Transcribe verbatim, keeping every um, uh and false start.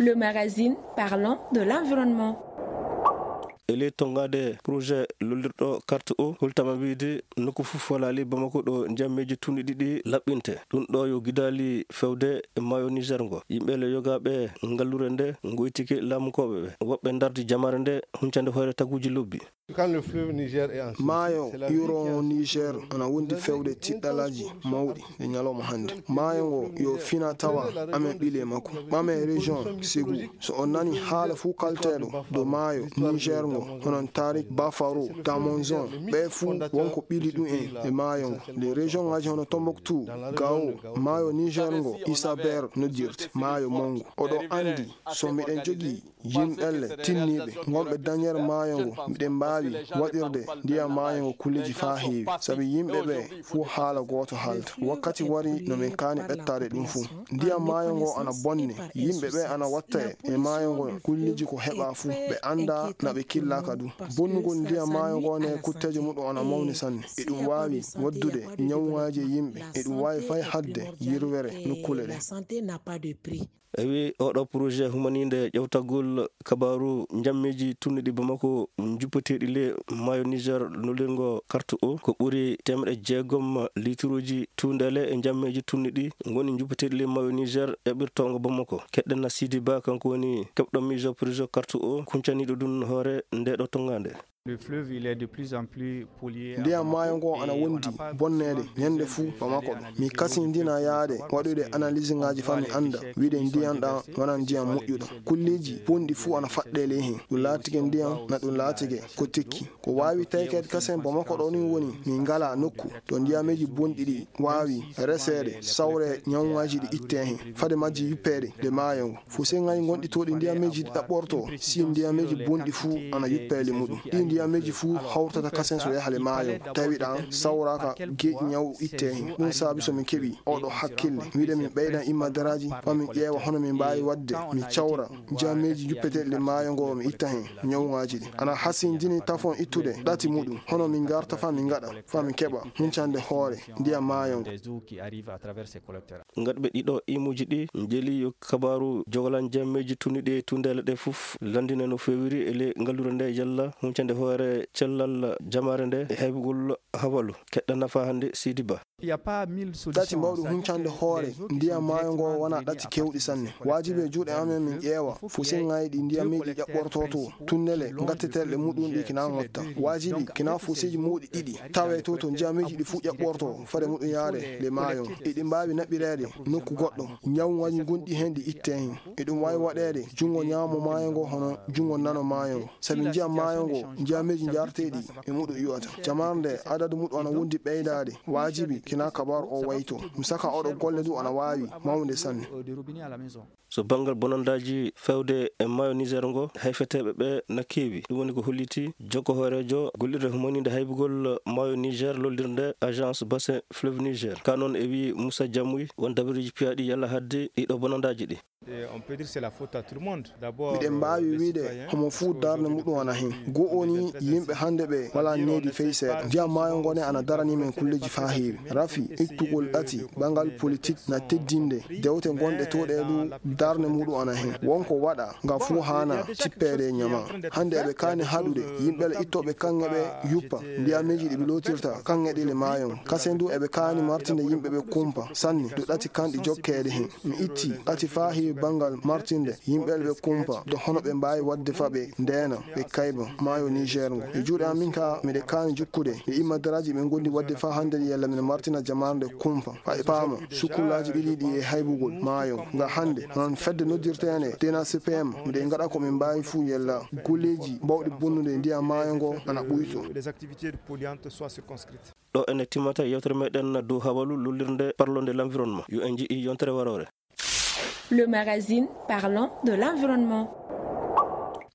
Le magazine parlant de l'environnement. E ley tonngaade projet lollirɗo carte o, hultama wiide nokku fof walaali Bamako ɗo njammeeji tunɗi ɗiɗi laɓɓinte. Ɗum ɗo yo gidaali fewde e maayo Niger ngo. Yimɓe le yogaaɓe ngallure nde ngoytike laamukooɓe ɓe. Woɓɓe ndardi jamaare nde huncande hoore taguuji lobbi. Maayo yuroowo Niger ana wondi fewde tiɗɗalaaji mawɗi e ñalawma hannde. Maayo ngo yo fina tawa amen ɓile makko. Ɓame région Ségou. So on nani haala fuu kalteeɗo dow maayo Niger ngo, hono Tarik Bafaro, Damonzon, ɓe fuu wonko ɓili ɗum en e maayo ngo. Les région ngaji hono Tombouctou, Gao, maayo Niger ngo, Isaber noddirte, maayo mawngo. Oɗo anndi so miɗen jogii yimɓe le tinniiɓe ngonɓe dañere maayo ngo, miɗen mbaawi waɗirde ndiyam maayo ngo kulleeji faa heewi, sabi yimɓe ɓe fuu haala gooto haalta. Wakkati wari no min kaani ɓettaade ɗum fuu. Ndiyam maayo ngo ana bonne, yimɓe ɓe ana watta e maayo ngo kulleeji ko heɓa fuu, ɓe annda na ɓe killaaka du. Bonnugol ndiyam maayo ngo ne kutteeje muɗum ana mawni sanne. Eɗum waawi waddude ñawŋaaji e yimɓe, eɗum waawi fay haɗde yirwere nokkuule ɗe. Ewi, oɗo projet humaniinde ƴewtagol kabaaru njammeeji tunniɗi Bamako njuppeteeɗi le maayo Niger, nulirngo carte o, ko ɓuri teemeɗe jeegom lituruuji tuundeele e njammeeji tunniɗi ngoni njuppeteeɗi le maayo Niger eɓirtoongo Bamako. Keɗɗen na Sidi Ba, kanko woni keɓɗo miijo projet carte o, kuncaniiɗo ɗum hoore nde ɗo tonngaande. Le fleuve, il est de plus en plus pollué. Ndiyam maayo ngo ana wondi bonneede ñande fuu Bamako ɗo. Mi kasindina yaade waɗude analyse ngaji faa mi annda wiide ndiyam ɗam wonaa ndiyam moƴƴuɗam. Kulleeji bonɗi fuu ana faɗɗee ley heen. Ɗum laatike ndiyam, na ɗum laatike ko tekki. Ko waawi tawkeede kasen Bamako ɗo ni woni min ngalaa nokku to ndiyameeji bonɗi ɗi waawi reseede, sawree, ñawŋaaji ɗi ittee heen, fade majji yuppeede nde maayo ngo. Fuseŋaaji gonɗi to ɗi ndiyameeji ɗi ɗaɓɓortoo, si ndiyameeji bonɗi fuu ana yuppee le muɗum. Ɗi ndiyameeji fuu hawrtata kasen so yaha le maayo, tawi ɗam sawraaka geeƴi ñaw ittee heen. Ɗum saabi so min keɓi oɗo hakkille, wiide min ɓeydan immadaraaji, faa min ƴeewa hono min mbaawi waɗde, min cawra ndiyameeji yuppeteeɗi le maayo ngo, mi itta heen ñawŋaaji ɗi. Ana hasindini tafon ittude ɗati muɗum, hono min ngarta faa min ngaɗa, faa min keɓa huncande hoore ndiyam maayo ngo. Des eaux qui arrivent à travers ces collecteurs. Ngaɗɓe ɗiɗo imuuji ɗi njeli yo kabaaru jogolan jammeeji tunniɗi e tuundeele ɗe fof lanndina no feewiri e ley ngallure nde yalla huncande hoore cellal jamaare nde e haybugol habalu. Keɗɗa nafa hannde Sidi Ba. Il y a pas mille solutions. Ɗati mawɗi huncande hoore ndiyam maayo ngo wonaa ɗati keewɗi sanne. Waajibi e juuɗe amen min ƴeewa fuseŋaaji ɗi ndiyameeji ƴaɓɓortoo to, tunnele ngatteteeɗe muɗum ɗi kina ŋotta. Waajibi kina fuseeji mawɗi ɗiɗi tawee to, to ndiyameeji ɗi fuu ƴaɓɓortoo, fade muɗum yaare le maayo. Eɗi mbaawi naɓireede nokku goɗɗo, ñawŋaaji gonɗi heen ɗi ittee heen. Eɗum waawi waɗeede junngo ñaamo maayo ngo hono junngo nano maayo ngo. Sabi ndiyam maayo ngo, ndiyameeji njarteeɗi e muɗum iwata. Jamaare nde adadu muɗum ana wondi ɓeydaade. Waajibi kina kabaaru o wayto. Mi saka oɗo golle du ana waawi mawnde sanne. So banngal bonandaaji fewde e maayo Niger ngo, hayfeteeɓe ɓe na keewi. Ɗum woni ko holliti jokko hooreejo gollirde humaniinde haybugol maayo Niger lollirnde Agence Bassin Fleuve Niger. Ka noon e wii Moussa Diamouy, won dabareeji piyaaɗi yalla hadde ɗiɗo bonandaaji ɗi. Et on peut dire c'est la faute à tout le monde. D'abord, miɗen mbaawi wiide homo fuu darnde muɗum ana heen. Go'o ni yimɓe hannde ɓe walaa needi fey seeɗa. Ndiyam maayo ngo ne ana daranii men kulleeji faa heewi. Rafi ittugol ɗati banngal politik na teddinde dewte gonɗe to ɗe du darnde muɗum ana heen. Wonko waɗa nga fuu haana tippeede e ñama. Hannde eɓe kaani haɗude yimɓe le ittooɓe kaŋŋe ɓe yuppa ndiyameeji ɗi ɓe lootirta kaŋŋe ɗi le maayo. Kasen du eɓe kaani martinde yimɓe ɓe kumpa sanne du ɗati kanɗi jokkeede heen. Mi itti ɗati faa heewi banngal martinde yimɓe ɓe kumpa, do hono ɓe mbaawi waɗde faa ɓe ndeena, ɓe kayba maayo Niger ngo. E juuɗe am min ka, miɗe kaani jukkude e immadaraaji ɓe ngondi waɗde faa hannde ɗi yalla miɗe martina jamaare nde kumpa. Faa ɓe paama sukkullaaji ɓilii ɗi e haybugol maayo nga hannde, hono fedde noddirteende D N A C P M, miɗe ngaɗa ko min mbaawi fuu yalla golleeji baawɗi bonnude ndiyam maayo ngo ana ɓuytoo. Les activités polluantes soient circonscrites. Ɗo ene timmata yewtere meɗen dow habalu lollirnde parlonde l'environnement. Yo en nji'i yontere waroore. Le magazine parlant de l'environnement.